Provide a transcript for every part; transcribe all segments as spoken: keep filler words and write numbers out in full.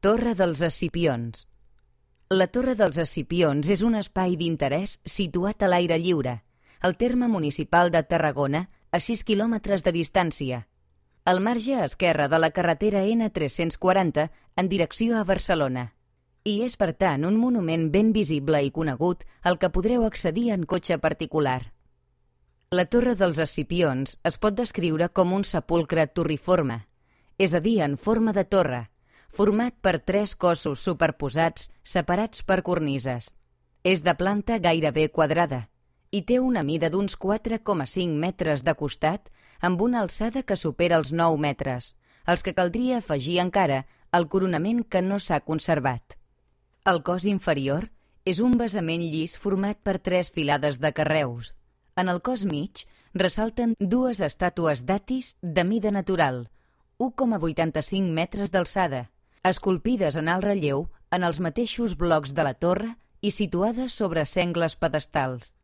Torre dels Escipions. La Torre dels Escipions és un espai d'interès situat a l'aire lliure, al terme municipal de Tarragona, a sis quilòmetres de distància, al marge esquerre de la carretera ena tres-cents quaranta en direcció a Barcelona. I és, per tant, un monument ben visible i conegut al que podreu accedir en cotxe particular. La Torre dels Escipions es pot descriure com un sepulcre turriforme, és a dir, en forma de torre, format per tres cossos superposats separats per cornises. És de planta gairebé quadrada i té una mida d'uns quatre coma cinc metres de costat amb una alçada que supera els nou metres, als que caldria afegir encara el coronament que no s'ha conservat. El cos inferior és un basament llis format per tres filades de carreus. En el cos mig ressalten dues estàtues d'Atis de mida natural, u coma vuitanta-cinc metres d'alçada, esculpides en alt relleu en els mateixos blocs de la torre i situades sobre sengles pedestals.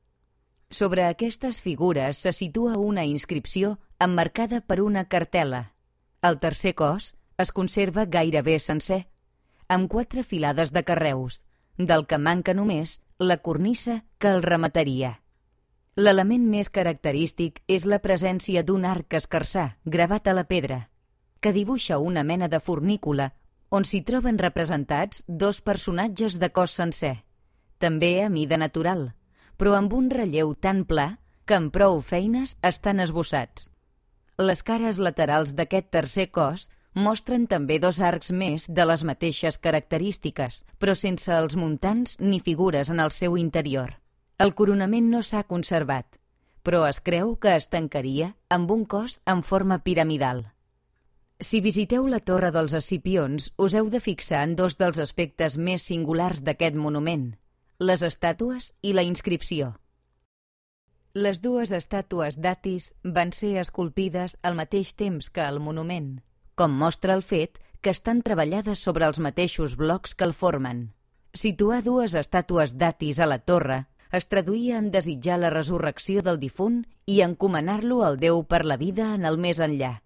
Sobre aquestes figures se situa una inscripció emmarcada per una cartel·la. El tercer cos es conserva gairebé sencer, amb quatre filades de carreus, del que manca només la cornisa que el remataria. L'element més característic és la presència d'un arc escarsar gravat a la pedra, que dibuixa una mena de fornícula on s'hi troben representats dos personatges de cos sencer, també a mida natural, però amb un relleu tan pla que amb prou feines estan esbossats. Les cares laterals d'aquest tercer cos mostren també dos arcs més de les mateixes característiques, però sense els muntants ni figures en el seu interior. El coronament no s'ha conservat, però es creu que es tancaria amb un cos en forma piramidal. Si visiteu la Torre dels Escipions, us heu de fixar en dos dels aspectes més singulars d'aquest monument, les estàtues i la inscripció. Les dues estàtues d'Atis van ser esculpides al mateix temps que el monument, com mostra el fet que estan treballades sobre els mateixos blocs que el formen. Situar dues estàtues d'Atis a la torre es traduïa en desitjar la resurrecció del difunt i encomanar-lo al Déu per la vida en el més enllà.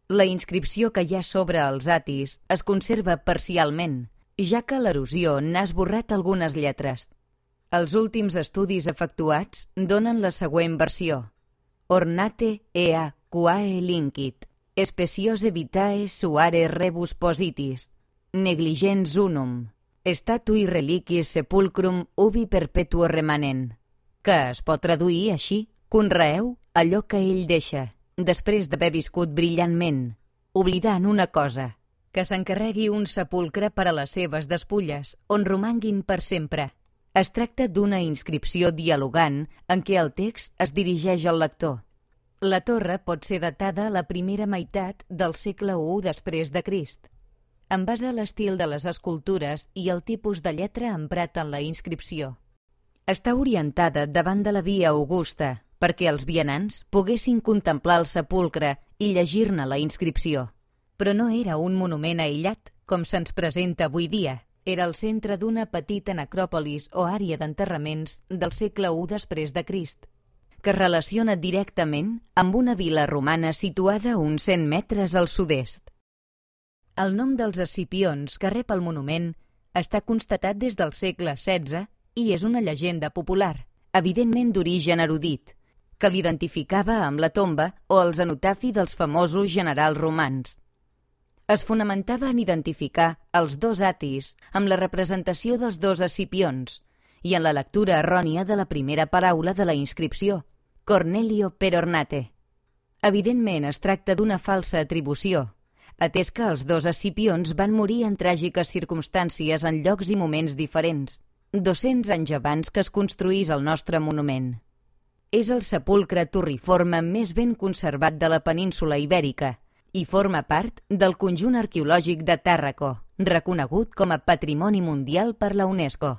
La inscripció que hi ha sobre els Atis es conserva parcialment, ja que l'erosió n'ha esborrat algunes lletres. Els últims estudis efectuats donen la següent versió. Ornate ea quae lincit, speciose vitae suare rebus positis, negligens unum, statui reliquis sepulcrum ubi perpetuo remanent, que es pot traduir així: conreeu allò que ell deixa, després d'haver viscut brillantment, oblidant una cosa, que s'encarregui un sepulcre per a les seves despulles, on romanguin per sempre. Es tracta d'una inscripció dialogant en què el text es dirigeix al lector. La torre pot ser datada a la primera meitat del segle u després de Crist, en base a l'estil de les escultures i el tipus de lletra emprat en la inscripció. Està orientada davant de la via Augusta, perquè els vianants poguessin contemplar el sepulcre i llegir-ne la inscripció. Però no era un monument aïllat, com se'ns presenta avui dia. Era el centre d'una petita necròpolis o àrea d'enterraments del segle u després de Crist, que es relaciona directament amb una vila romana situada a uns cent metres al sud-est. El nom dels Escipions que rep el monument està constatat des del segle setze i és una llegenda popular, evidentment d'origen erudit, que l'identificava amb la tomba o el cenotafi dels famosos generals romans. Es fonamentava en identificar els dos Atis amb la representació dels dos Escipions i en la lectura errònia de la primera paraula de la inscripció, Cornelio per ornate. Evidentment es tracta d'una falsa atribució, atès que els dos Escipions van morir en tràgiques circumstàncies en llocs i moments diferents, dos-cents anys abans que es construís el nostre monument. És el sepulcre turriforme més ben conservat de la península Ibèrica i forma part del conjunt arqueològic de Tàrraco, reconegut com a Patrimoni Mundial per la UNESCO.